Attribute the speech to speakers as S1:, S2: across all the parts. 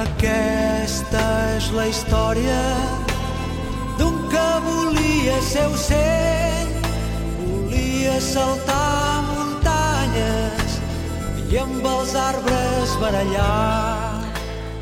S1: Aquesta és la història d'un que volia ser ocell, volia saltar muntanyes i amb els arbres barallar.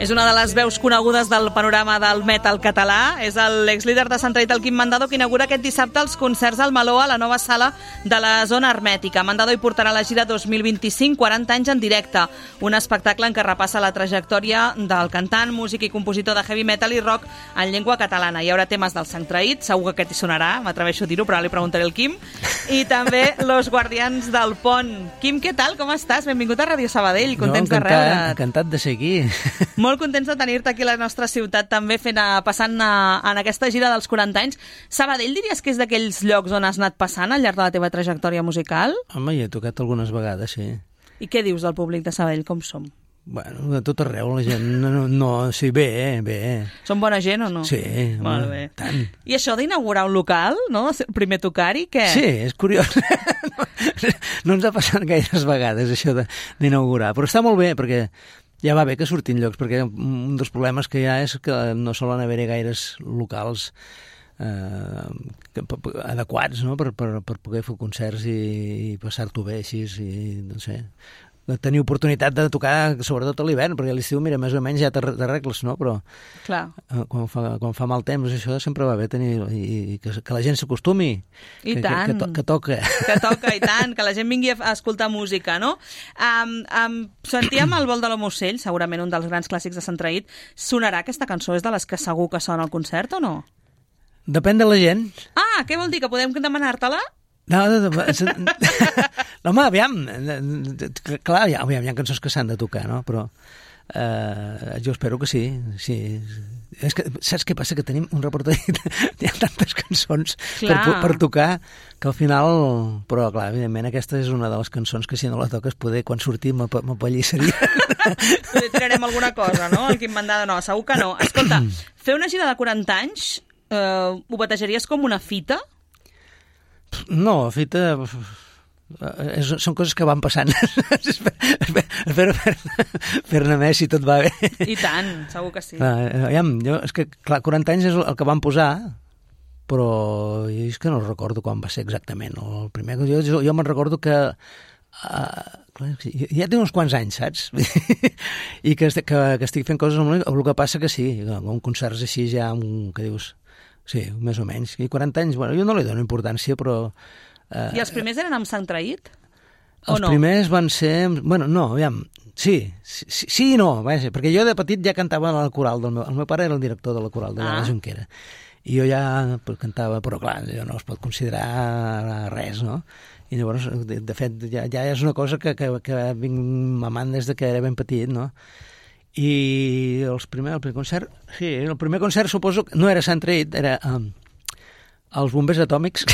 S2: És una de les veus conegudes del panorama del metal català. És l'exlíder de Centraït, el Quim Mandado, que inaugura aquest dissabte els concerts al Meló a la nova sala de la Zona Hermètica. Mandado hi portarà la gira 2025, 40 anys en directe. Un espectacle en què repassa la trajectòria del cantant, músic i compositor de heavy metal i rock en llengua catalana. Hi haurà temes del Centraït, segur que aquest hi sonarà, m'atreveixo a dir-ho, però ara li preguntaré al Quim. I també Los Guardians del Pont. Quim, què tal? Com estàs? Benvingut a Ràdio Sabadell. Contents de reure't.
S3: Encantat de ser aquí.
S2: Molt contents de tenir-te aquí a la nostra ciutat també passant en aquesta gira dels 40 anys. Sabadell diries que és d'aquells llocs on has anat passant al llarg de la teva trajectòria musical?
S3: Home, hi he tocat algunes vegades, sí.
S2: I què dius del públic de Sabadell? Com som?
S3: Bueno, de tot arreu, la gent sí, bé.
S2: Són bona gent o no?
S3: Sí,
S2: molt bé.
S3: Tant.
S2: I això d'inaugurar un local, no? Primer tocar-hi, què?
S3: Sí, és curiós. No ens ha passat gaires vegades, això d'inaugurar, però està molt bé, perquè ja va bé que surtin llocs, perquè un dels problemes que hi ha és que no solen haver-hi gaires locals adequats, no?, per poder fer concerts i passar-t'ho bé així, i no sé, tenir oportunitat de tocar, sobretot a l'hivern, perquè a l'estiu, mira, més o menys ja t'arregles, no?, però
S2: clar,
S3: quan fa mal temps, això sempre va bé tenir, i que la gent s'acostumi,
S2: que
S3: toca.
S2: Que toca, i tant, que la gent vingui a escoltar música, no? Sentíem el vol de l'Homocell, segurament un dels grans clàssics de Centraït. Sonarà aquesta cançó? És de les que segur que sona al concert o no?
S3: Depèn de la gent.
S2: Ah, què vol dir? Que podem demanar-te-la?
S3: No, home, aviam, clar, hi ha cançons que s'han de tocar, no? Però jo espero que sí. És que, saps què passa? Que tenim un repertori, hi ha tantes cançons per tocar, que al final... Però, clar, evidentment, aquesta és una de les cançons que si no la toques, poder, quan sortim, m'apallissaria.
S2: Poder tirarem alguna cosa, no? El Quim Mandado, no, segur que no. Escolta, fer una gira de 40 anys, ho batejaries com una fita?
S3: No, fita... són coses que van passant. Espero fer-ne més si tot va bé.
S2: I tant, segur que sí.
S3: És que, clar, 40 anys és el que van posar, però jo és que no recordo quan va ser exactament. El primer, jo me'n recordo que ja té uns quants anys, saps? I que estic fent coses amb el que passa que sí, un concerts així ja, que dius... Sí, més o menys. I 40 anys, bueno, jo no li dono importància, però...
S2: I els primers eren amb Centraït? O no?
S3: Els primers van ser... Bueno, no, aviam, sí i no, vaja, perquè jo de petit ja cantava a la coral del el meu pare era el director de la coral de la Jonquera, i jo ja cantava, però clar, jo no es pot considerar res, no? I llavors, de fet, ja és una cosa que vinc mamant des que era ben petit, no? I el primer concert, sí, el primer concert suposo que no era Centraït, era els Bombers Atòmics.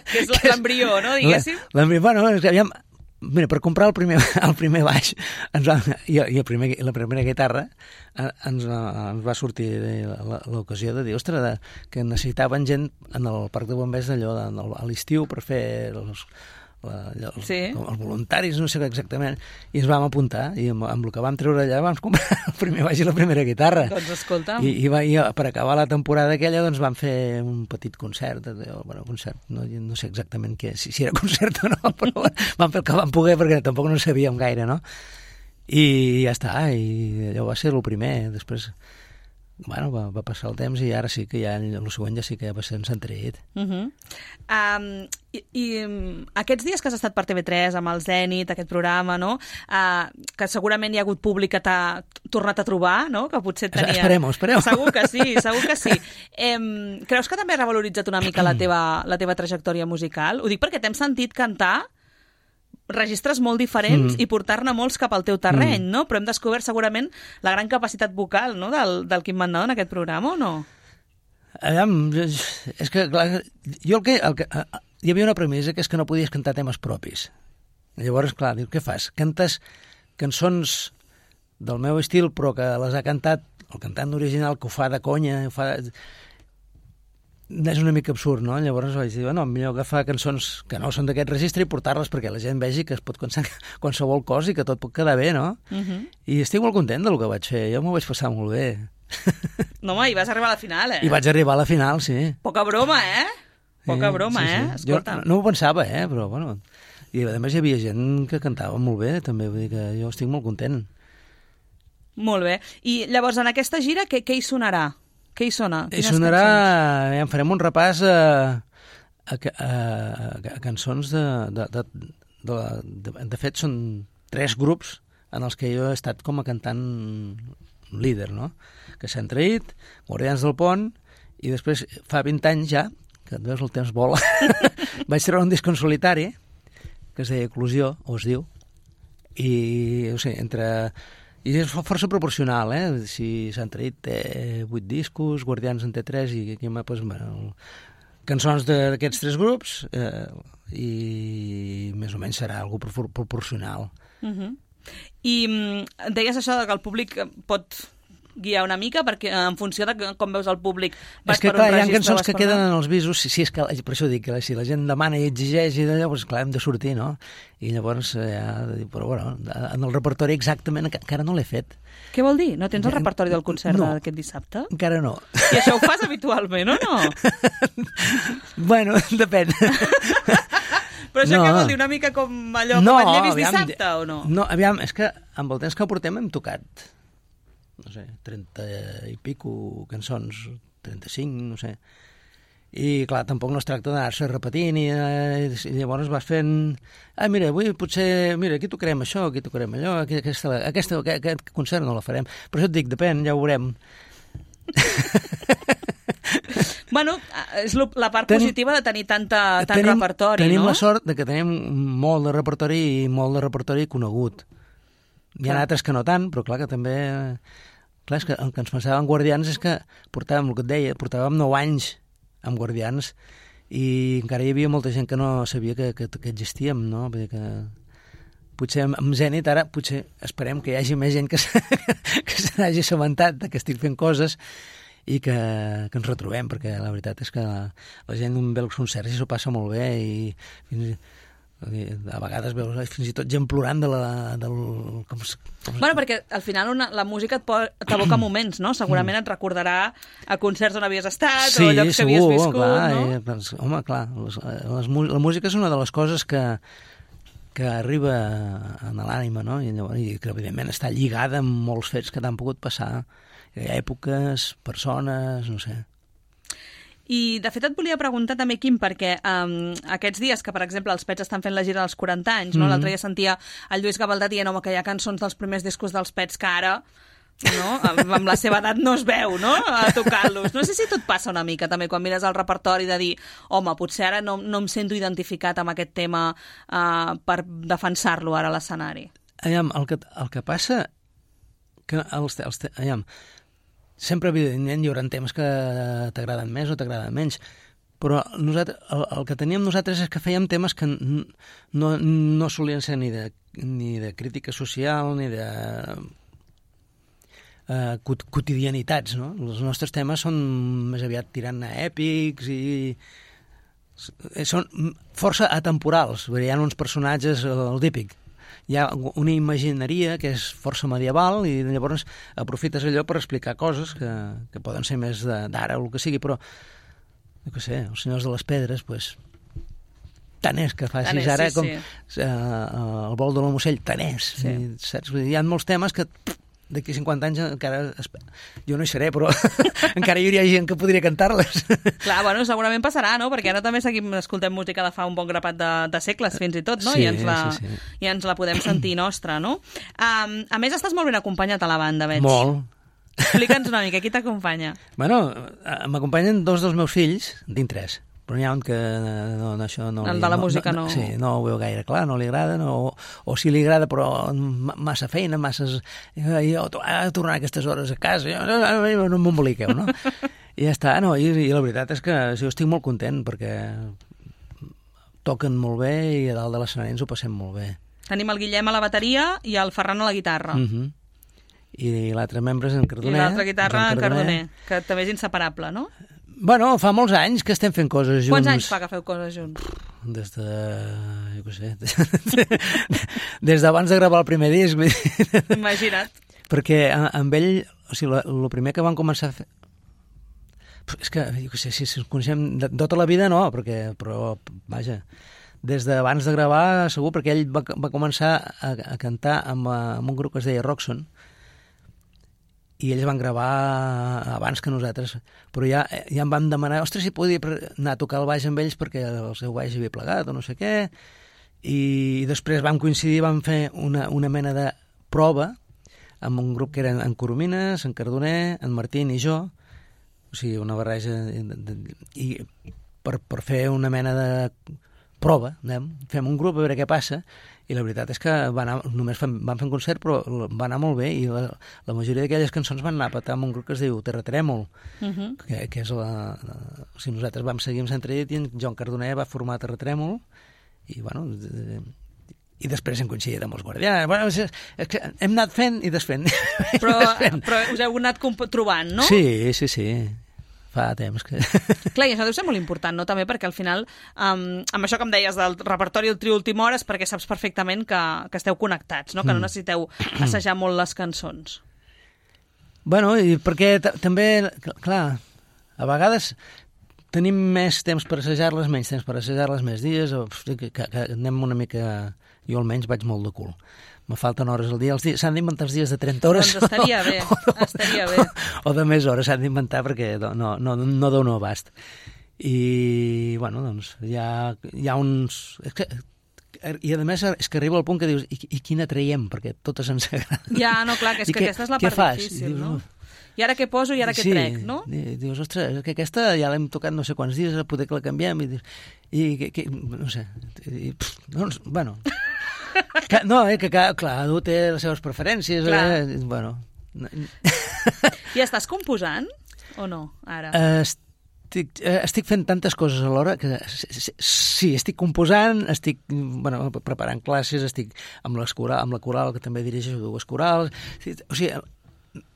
S2: Que és l'embrió, no, diguéssim?
S3: Bueno, aviam, mira, per comprar el primer baix i la primera guitarra ens va sortir l'ocasió de dir, ostres, que necessitaven gent en el parc de bombers d'allò a l'estiu per fer els voluntaris, no sé exactament, i ens vam apuntar, i amb el que vam treure allà vam comprar el primer baix i la primera guitarra.
S2: Doncs escolta'm.
S3: I per acabar la temporada aquella doncs vam fer un petit concert, no sé exactament si era concert o no, però vam fer el que vam poder perquè tampoc no sabíem gaire, no? I ja està, i allò va ser el primer, després... Bueno, va passar el temps i ara sí que ja el següent ja sí que ja va ser en Centraït.
S2: I aquests dies que has estat per TV3 amb el Zènit, aquest programa, no? Que segurament hi ha hagut públic que t'ha tornat a trobar, no? Que potser tenia...
S3: Esperem.
S2: Segur que sí. Creus que també ha revaloritzat una mica la teva trajectòria musical? Ho dic perquè t'hem sentit cantar registres molt diferents i portar-ne molts cap al teu terreny, no? Però hem descobert segurament la gran capacitat vocal, no?, del Quim Mandado en aquest programa, o no?
S3: És que, clar, hi havia una premissa que és que no podies cantar temes propis. Llavors, clar, dius, què fas? Cantes cançons del meu estil, però que les ha cantat el cantant original, que ho fa de conya, és una mica absurd, no? Llavors vaig dir, no, millor agafar cançons que no són d'aquest registre i portar-les perquè la gent vegi que es pot pensar qualsevol cosa i que tot pot quedar bé, no? I estic molt content del que vaig fer, jo m'ho vaig passar molt bé.
S2: No, home, i vas arribar a la final,
S3: I vaig arribar a la final, sí.
S2: Poca broma, Poca broma,
S3: sí.
S2: Escolta.
S3: Jo no ho pensava, però bueno. I a més hi havia gent que cantava molt bé, també, vull dir que jo estic molt content.
S2: Molt bé. I llavors, en aquesta gira, què hi sonarà? Què hi sona?
S3: Hi sonarà, ja farem un repàs a cançons de fet, són 3 grups en els que jo he estat com a cantant líder, no? Que s'han traït, Guardians del Pont, i després, fa 20 anys ja, que et veus el temps vola, vaig treure un disc en solitari, que es deia Eclosió, o es diu, i, o sigui, i és força proporcional, si s'han traït té 8 discos, Guardians en té 3, i aquí doncs, bueno, cançons d'aquests 3 grups, i més o menys serà algo proporcional.
S2: I deies això que el públic pot guiar una mica, perquè en funció de com veus el públic vas per un registre. És que clar, hi ha cançons que queden en els visos, és que, per això dic que si la gent demana i exigeix i d'allò, doncs clar, hem de sortir, no? I llavors, però bueno, en el repertori exactament encara no l'he fet. Què vol dir? No tens el repertori del concert d'aquest dissabte?
S3: Encara no.
S2: I això ho fas habitualment, o no?
S3: Bueno, depèn.
S2: Però això què vol dir? Una mica com allò que Manllevis dissabte, o no?
S3: No, aviam, és que amb el temps que portem hem tocat, no sé, 30 i pico cançons, 35, no sé. I, clar, tampoc no es tracta d'anar-se repetint i llavors vas fent... mira, avui potser... Mira, aquí tocarem això, aquí tocarem allò, aquest concert no la farem. Per això et dic, depèn, ja ho veurem.
S2: Bueno, és la part positiva de tenir tant repertori, no?
S3: Tenim la sort de que tenim molt de repertori i molt de repertori conegut. Hi ha altres que no tant, però clar que també... Clar, és que el que ens pensava en Guardians és que portàvem, el que et deia, portàvem 9 anys amb Guardians i encara hi havia molta gent que no sabia que existíem, no? Vull dir que potser amb Zenit ara potser esperem que hi hagi més gent que se n'hagi assabentat que estic fent coses i que ens retrobem, perquè la veritat és que la gent ve als concerts i s'ho passa molt bé i a vegades veus fins i tot gent plorant
S2: Bueno, perquè al final la música t'evoca moments, no? Segurament et recordarà a concerts on havies estat o llocs que havies viscut, no?
S3: Doncs, home, clar, la música és una de les coses que arriba a l'ànima, no? I que, evidentment, està lligada amb molts fets que t'han pogut passar, èpoques, persones, no sé.
S2: I, de fet, et volia preguntar també, Quim, perquè aquests dies que, per exemple, els Pets estan fent la gira dels 40 anys, no? L'altre dia sentia el Lluís Gavaldà dient que hi ha cançons dels primers discos dels Pets que ara, no? Amb la seva edat no es veu, no? A tocar-los. No sé si tot passa una mica també quan mires el repertori de dir, home, potser ara no em sento identificat amb aquest tema per defensar-lo ara a l'escenari.
S3: El que passa que sempre, evidentment, hi haurà temes que t'agraden més o t'agraden menys, però el que teníem nosaltres és que fèiem temes que no solien ser ni de crítica social ni de quotidianitats, no? Els nostres temes són més aviat tirant a èpics i són força atemporals. Hi ha uns personatges, el típic, hi ha una imagineria que és força medieval i llavors aprofites allò per explicar coses que poden ser més d'ara o el que sigui, però no sé, els Senyors de les Pedres, doncs, tant és que facis ara com el vol de l'Homossell, tant és. Saps? Hi ha molts temes que d'aquí 50 anys encara... Jo no hi seré, però encara hi hauria gent que podria cantar-les.
S2: Clar, bueno, segurament passarà, no? Perquè ara també escoltem música de fa un bon grapat de segles, fins i tot, no?
S3: Sí,
S2: I ens la podem sentir nostra, no? A més, estàs molt ben acompanyat a la banda, veig.
S3: Molt.
S2: Explica'ns una mica, qui t'acompanya?
S3: Bueno, m'acompanyen 2 dels meus fills, tinc 3. Però n'hi ha un que això no...
S2: El de la música no...
S3: Sí, no ho veu gaire clar, no li agrada, o si li agrada però massa feina, masses... Jo tornar a aquestes hores a casa, no m'emboliqueu, no? I ja està, no? I la veritat és que jo estic molt content perquè toquen molt bé i a dalt de l'escenari ens ho passem molt bé.
S2: Tenim el Guillem a la bateria i el Ferran a la guitarra.
S3: I l'altre membre és en Cardoner.
S2: I l'altre guitarra en Cardoner, que també és inseparable, no?
S3: Bueno, fa molts anys que estem fent coses junts.
S2: Quants anys fa que feu coses junts?
S3: Des de... jo què sé... des d'abans de gravar el primer disc.
S2: Imagina't.
S3: Perquè amb ell, o sigui, el primer que vam començar a fer... És que, jo què sé, si ens coneixem de tota la vida, no, però vaja, des d'abans de gravar, segur, perquè ell va començar a cantar amb un grup que es deia Roxon, i ells van gravar abans que nosaltres, però ja em van demanar, ostres, si podia anar a tocar el baix amb ells perquè el seu baix havia plegat o no sé què, i després vam coincidir, vam fer una mena de prova amb un grup que eren en Coromines, en Cardoner, en Martín i jo, o sigui, una barreja, i per fer una mena de prova, fem un grup a veure què passa, i la veritat és que només vam fer un concert, però va anar molt bé, i la majoria d'aquelles cançons van anar a petar amb un grup que es diu Terratrèmol, que és o sigui, nosaltres vam seguir amb Sant Tradit i en Joan Cardoner va formar Terratrèmol, i bueno... i després hem coincidit amb els Guardians. Bueno, és que hem anat fent i desfent.
S2: Però us heu anat trobant, no?
S3: Sí. Fa temps que...
S2: Clar, i això deu ser molt important, no? També perquè al final, amb això que em deies del repertori del trio Última Hora, és perquè saps perfectament que esteu connectats, no? Que no necessiteu assajar molt les cançons.
S3: Bueno, i perquè també, clar, a vegades tenim més temps per assajar-les, menys temps per assajar-les, més dies, que anem una mica... Jo almenys vaig molt de cul. Me falten hores al dia. S'han d'inventar els dies de 30 hores.
S2: Doncs estaria bé, estaria bé.
S3: O de més hores s'han d'inventar perquè no dono abast. I, bueno, doncs, hi ha uns... I, a més, és que arriba al punt que dius, i quina traiem? Perquè totes ens agraden.
S2: Ja, no, clar, que és que aquesta és la part difícil, no? I ara què poso i ara què trec, no?
S3: I dius, ostres, que aquesta ja l'hem tocat no sé quants dies, poder que la canviem, i no sé, bueno... No, que cada té les seves preferències. Bueno.
S2: I estàs composant o no, ara?
S3: Estic fent tantes coses alhora que sí, estic composant, estic preparant classes, estic amb la coral, que també dirigeixo 2 corals, o sigui,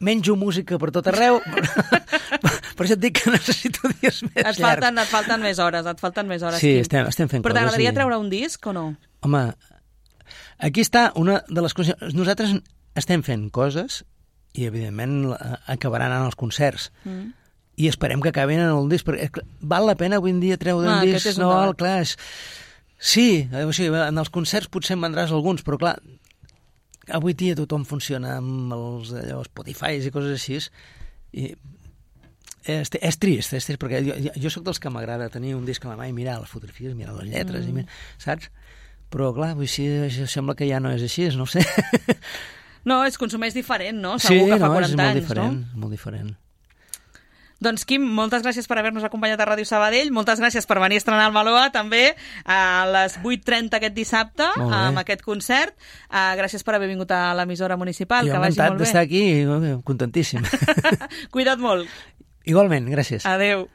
S3: menjo música per tot arreu, per això et dic que necessito dies més llargs.
S2: Et falten més hores.
S3: Sí, estem fent coses.
S2: Però t'agradaria treure un disc o no?
S3: Home, aquí està una de les coses... Nosaltres estem fent coses i, evidentment, acabaran en els concerts. I esperem que acabin en el disc, perquè val la pena avui en dia treure un disc. No, clar, sí, o sigui, en els concerts potser en vendràs alguns, però clar, avui dia tothom funciona amb els Spotify i coses així, i és trist, perquè jo sóc dels que m'agrada tenir un disc a la mà i mirar les fotografies, mirar les lletres, saps? Però, clar, això sembla que ja no és així, no ho sé.
S2: No, es consumeix diferent, no? Segur que fa 40 anys, no?
S3: És molt diferent.
S2: Doncs, Quim, moltes gràcies per haver-nos acompanyat a Ràdio Sabadell, moltes gràcies per venir a estrenar el Maloa, també, a les 8:30 aquest dissabte, amb aquest concert. Gràcies per haver vingut a l'emissora municipal, que vagi molt bé.
S3: Jo encantat d'estar aquí, contentíssim.
S2: Cuida't molt.
S3: Igualment, gràcies.
S2: Adéu.